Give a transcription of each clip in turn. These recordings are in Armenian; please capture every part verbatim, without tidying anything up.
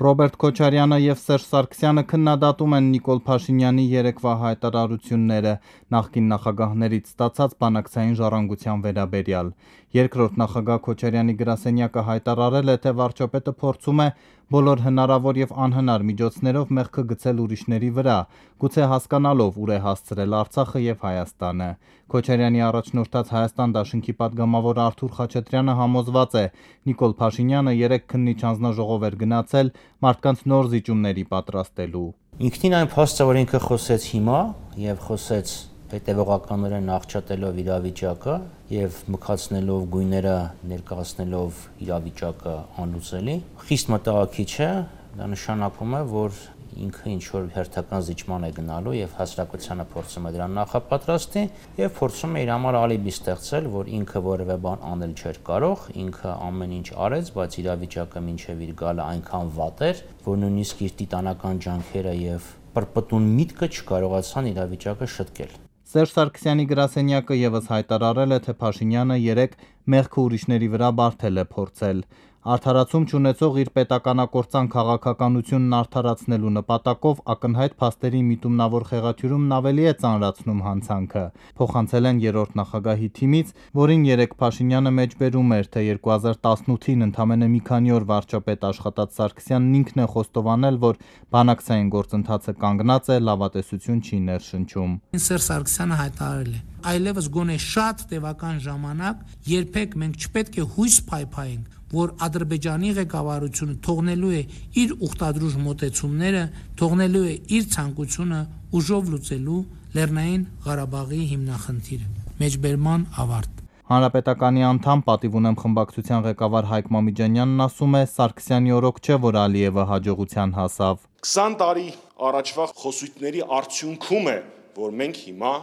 Ռոբերտ Քոչարյանը եւ Սերժ Սարգսյանը քննադատում են Նիկոլ Փաշինյանի երեկվա հայտարարությունները նախկին նախագահներից ստացած բանակցային ժառանգության վերաբերյալ։ Երկրորդ նախագահ Քոչարյանի գրասենյակը հայտարարել է, թե վարչապետը փորձում է բոլոր հնարավոր եւ անհնար միջոցներով մեղքը գցել ուրիշների վրա, գուցե հասկանալով ուր է հասցրել Արցախը եւ Հայաստանը։ Քոչարյանի առաջնորդած Հայաստան դաշնքի падգամավոր Արթուր Խաչատրյանը համոզված է, Նիկոլ Փաշինյանը երեք քննիչ հանձնաժողով էր գնացել մարդկանց նոր զիջումների պատրաստելու։ Ինքնին այն փաստը, որ ինքը խոսեց հիմա եւ խոսեց հետևողականորեն աղճատելով իրավիճակը եւ մքացնելով գույները, ներկայացնելով իրավիճակը անլուծելի, խիստ մտահոգիչ է, դա նշանակում է, որ ինքը ինչ որ հերթական զիջման է գնալու եւ հասարակությանը փորձում է դրան նախապատրաստի եւ փորձում է իր համար ալիբի ստեղծել, որ ինքը որևէ բան անել չէր կարող, ինքը ամեն ինչ արեց, բայց իրավիճակը մինչեւ իր գալը այնքան վատ էր, որ նույնիսկ իր տիտանական ջանքերը եւ պրպտուն միտքը չկարողացան իրավիճակը շտկել։ Սերժ Սարգսյանի գրասենյակը եւս հայտարարել է, թե Փաշինյանը երեք մեղքը ուրիշների վրա բարթել է փորձել։ Արդարացում չունեցող իր պետականակործան քաղաքականությունն արդարացնելու նպատակով ակնհայտ փաստերի միտումնավոր խեղաթյուրումն ավելի է ծանրացնում հանցանքը։ Փոխանցել են երրորդ նախագահի թիմից, որին երեք Փաշինյանը մեջբերում էր, թե երկու հազար տասնութին ընդամենը մի քանի օր վարչապետ աշխատած Սարգսյանն ինքն է խոստովանել, որ բանակցային գործընթացը կանգնած է, լավատեսություն չի ներշնչում։ Սերժ Սարգսյանը հայտարարել է. այլևս գոնե շատ տևական ժամանակ երբեք մենք չպետք է հույս փայփայենք, որ Ադրբեջանի ղեկավարությունը թողնելու է իր ուխտադրուժ մոտեցումները, թողնելու է իր ցանկությունը ուժով լուծելու Լեռնային Ղարաբաղի հիմնախնդիրը։ Մեջբերման ավարտ։ Հանրապետականի անդամ պատիվ ունեմ խմբակցության ղեկավար Հայկ Մամիջանյանն ասում է, Սարգսյանի օրոք չէ, որ Ալիևը հաջողության հասավ։ քսան տարի առաջվա խոսույթների արդյունքում է, որ մենք հիմա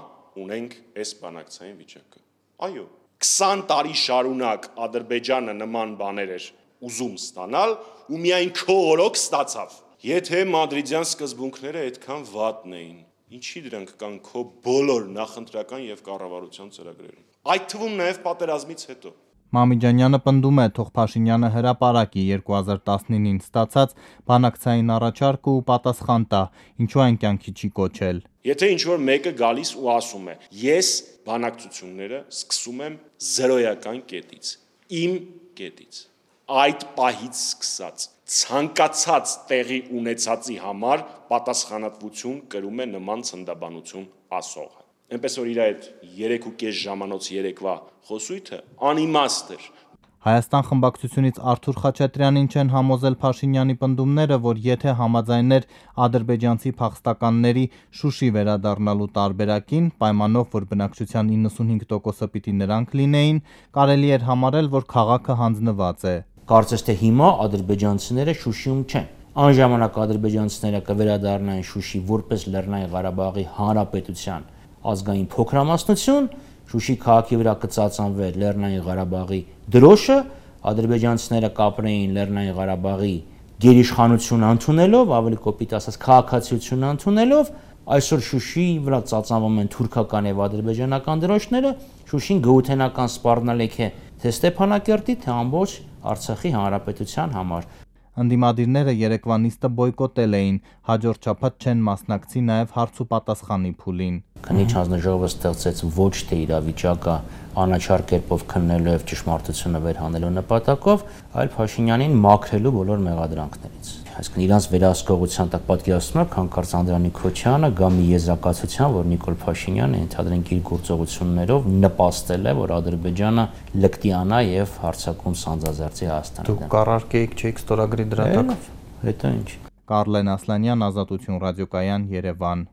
ունենք այս բանակցային վիճակը։ Այո, քսան տարի շարունակ Ադրբեջանը նման բաներ էր ուզում ստանալ ու միայն քո օրոք ստացավ։ Եթե մադրիդյան սկզբունքները այդքան վատն էին, ինչի դրանք կան քո բոլոր նախընտրական եւ կառավարության ծրագրերում։ Այդ թվում նաեւ պատերազմից հետո։ Մամիջանյանը պնդում է, թող Փաշինյանը հրապարակի երկու հազար տասնինին ստացած բանակցային առաջարկը ու պատասխան տա, ինչու այն կյանքի չի կոչել։ Եթե ինչ-որ մեկը գալիս ու ասում է, ես բանակցությունները սկսում եմ զերոյական կետից, իմ կետից, այդ պահից սկսած, ցանկացած տեղի ունեցածի համար պատասխանատվություն կրում է նման ցնդաբանություն ասողը։ Այնպես որ իր այդ երեք ու կես ժամանոց երեկվա խոսույթը անիմաստ էր։ Հայաստան խմբակցությունից Արթուր Խաչատրյանին չեն համոզել Փաշինյանի պնդումները, որ եթե համաձայներ ադրբեջանցի փախստականների Շուշի վերադառնալու տարբերակին, պայմանով, որ բնակչության իննսունհինգ տոկոսը պիտի նրանք լինեին, կարելի էր համարել, որ քաղաքը հանձնված է։ Կարծես թե հիմա ադրբեջանցիները Շուշիում չեն։ Այն ժամանակ ադրբեջանցիները կվերադառնային Շուշի որպես Լեռնային Ղարաբաղի Հանրապետության ազգային փոքրամասնություն, Շուշի քաղաքի վրա կծածանվեր Լեռնային Ղարաբաղի դրոշը, ադրբեջանցիները կապրեին Լեռնային Ղարաբաղի գերիշխանությունը ընդունելով, ավելի կոպիտ ասած քաղաքացիությունը ընդունելով, այսօր Շուշիի վրա ծածանվում են թուրքական եւ ադրբեջանական դրոշները, Շուշին գոութենական սպառնալիք է թե Ստեփանակերտի, թե ամբողջ Արցախի հանրապետության համար։ Ընդդիմադիրները երեկվա նիստը բոյկոտել էին, հաջորդ շաբաթ չեն մասնակցի նաև հարց ու պատասխանի փուլին։ Քննիչ հանձնաժողովը ստեղծեց ոչ թե իրավիճակը անաչառ կերպով քննելու եւ ճշմարտությունը վերհանելու նպատակով, այլ Փաշինյանին մաքրելու բոլոր մեղադրանքներից։ Այսինքն իրանց վերահսկողության տակ պատկերացնում եք հանկարծ Անդրանիկ Քոչյանը գա մի եզրակացության, որ Նիկոլ Փաշինյանը ընդհանրենք իր գործողություններով նպաստել է, որ Ադրբեջանը լկտիանա եւ հարձակում սանձազերծի Հայաստանը։ Դուք կառարկեիք չէիք ստորագրի դրա տակ։ Հետո ինչ։ Կարլեն Ասլանյան, Ազատություն ռադիոկայան, Երևան։